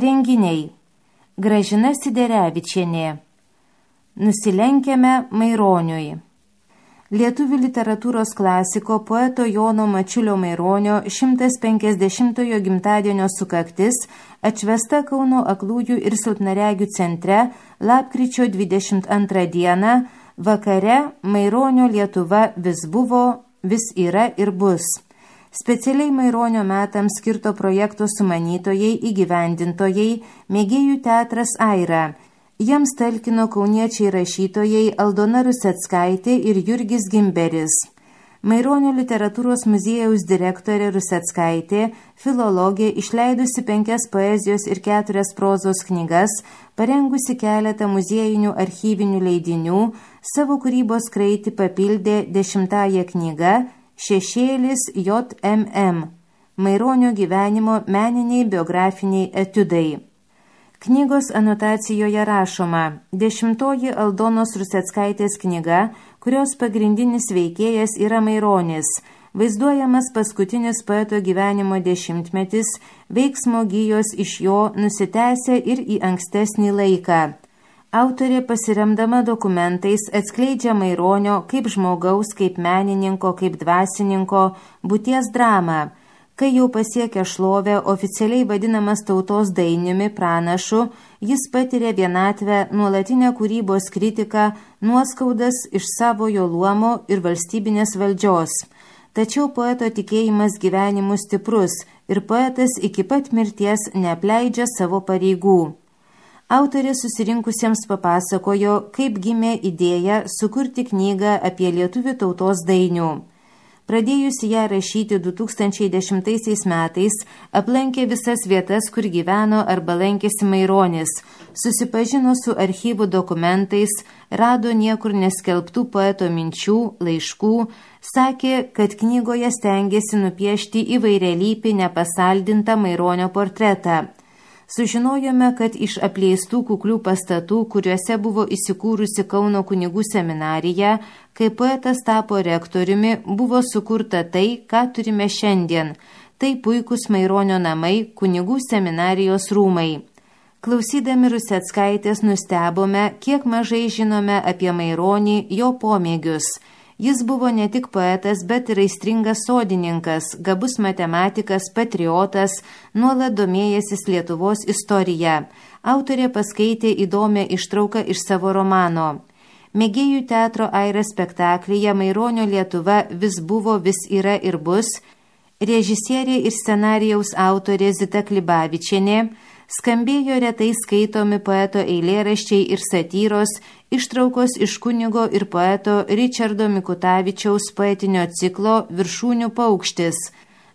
Renginiai. Gražina Siderevičienė. Nusilenkiame Maironiui. Lietuvių literatūros klasiko poeto Jono Mačiulio Maironio 150-ojo gimtadienio sukaktis atšvęsta Kauno aklųjų ir silpnaregių centre lapkričio 22 dieną vakare Maironio Lietuva vis buvo, vis yra ir bus. Specialiai Maironio metams skirto projekto sumanytojai, įgyvendintojai, mėgėjų teatras Aira. Jiems talkino kauniečiai rašytojai Aldona Ruseckaitė ir Jurgis Gimberis. Maironio literatūros muziejaus direktorė Ruseckaitė, filologė, išleidusi 5 poezijos ir 4 prozos knygas, parengusi keletą muziejinių archyvinių leidinių, savo kūrybos kraitį papildė 10-ąją knygą Šešėlis JMM. Maironio gyvenimo meniniai biografiniai etiudai. Knygos anotacijoje rašoma: 10-oji Aldonos Ruseckaitės knyga, kurios pagrindinis veikėjas yra Maironis, vaizduojamas paskutinis poeto gyvenimo dešimtmetis, veiksmo gijos iš jo nusitęsia ir į ankstesnį laiką. Autorė pasiremdama dokumentais atskleidžia Maironio kaip žmogaus, kaip menininko, kaip dvasininko būties dramą. Kai jau pasiekia šlovę, oficialiai vadinamas tautos dainiumi, pranašu, jis patiria vienatvę, nuolatinę kūrybos kritiką, nuoskaudas iš savojo luomo ir valstybinės valdžios. Tačiau poeto tikėjimas gyvenimu stiprus ir poetas iki pat mirties neapleidžia savo pareigų. Autorė susirinkusiems papasakojo, kaip gimė idėja sukurti knygą apie lietuvių tautos dainių. Pradėjusi ją rašyti 2010 metais, aplankė visas vietas, kur gyveno arba lankėsi Maironis, susipažino su archyvų dokumentais, rado niekur neskelbtų poeto minčių, laiškų, sakė, kad knygoje stengėsi nupiešti įvairialypį nepasaldintą Maironio portretą. Sužinojome, kad iš apleistų kuklių pastatų, kuriuose buvo įsikūrusi Kauno kunigų seminarija, kai poetas tapo rektoriumi, buvo sukurta tai, ką turime šiandien. Tai puikūs Maironio namai, kunigų seminarijos rūmai. Klausydami Ruseckaitės nustebome, kiek mažai žinome apie Maironį, jo pomėgius. Jis buvo ne tik poetas, bet ir aistringas sodininkas, gabus matematikas, patriotas, nuolat domėjęsis Lietuvos istorija. Autorė paskaitė įdomią ištrauką iš savo romano. Mėgėjų teatro Aira spektaklyje Maironio Lietuva vis buvo, vis yra ir bus. Režisierė ir scenarijaus autorė Zita Klibavičienė. Skambėjo retai skaitomi poeto eilėraščiai ir satyros, ištraukos iš kunigo ir poeto Ričardo Mikutavičiaus poetinio ciklo Viršūnių paukštis,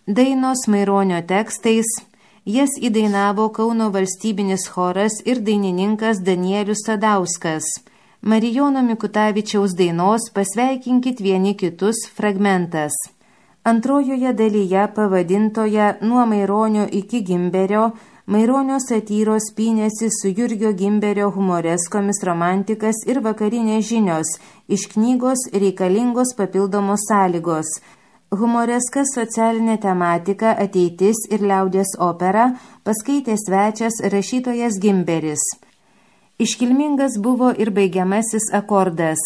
dainos Maironio tekstais, jas įdainavo Kauno valstybinis choras ir dainininkas Danielius Sadauskas. Marijono Mikutavičiaus dainos Pasveikinkit vieni kitus fragmentas. Antrojoje dalyje pavadintoje Nuo Maironio iki Gimberio Maironio satyros pynėsi su Jurgio Gimberio humoreskomis romantikas ir vakarinės žinios, iš knygos reikalingos papildomos sąlygos. Humoreskas socialinė tematika, ateitis ir liaudies opera paskaitė svečias rašytojas Gimberis. Iškilmingas buvo ir baigiamasis akordas.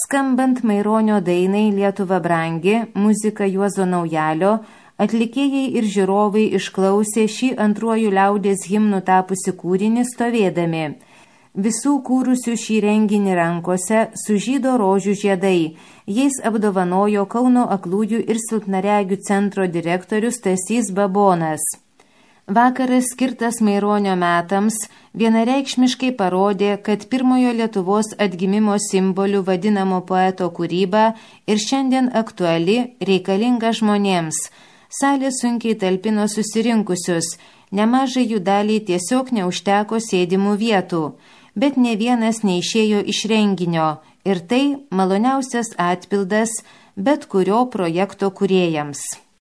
Skambant Maironio dainai Lietuva brangi, muzika Juozo Naujalio, atlikėjai ir žiūrovai išklausė šį antruoju liaudies himnu tapusi kūrinį stovėdami. Visų kūrusių šį renginį rankose sužydo rožių žiedai. Jais apdovanojo Kauno aklųjų ir silpnaregių centro direktorius Stasys Babonas. Vakaras skirtas Maironio metams vienareikšmiškai parodė, kad pirmojo Lietuvos atgimimo simboliu vadinamo poeto kūryba ir šiandien aktuali, reikalinga žmonėms. Salė sunkiai talpino susirinkusius, nemažai jų daliai tiesiog neužteko sėdimų vietų, bet ne vienas neišėjo iš renginio ir tai maloniausias atpildas bet kurio projekto kūrėjams.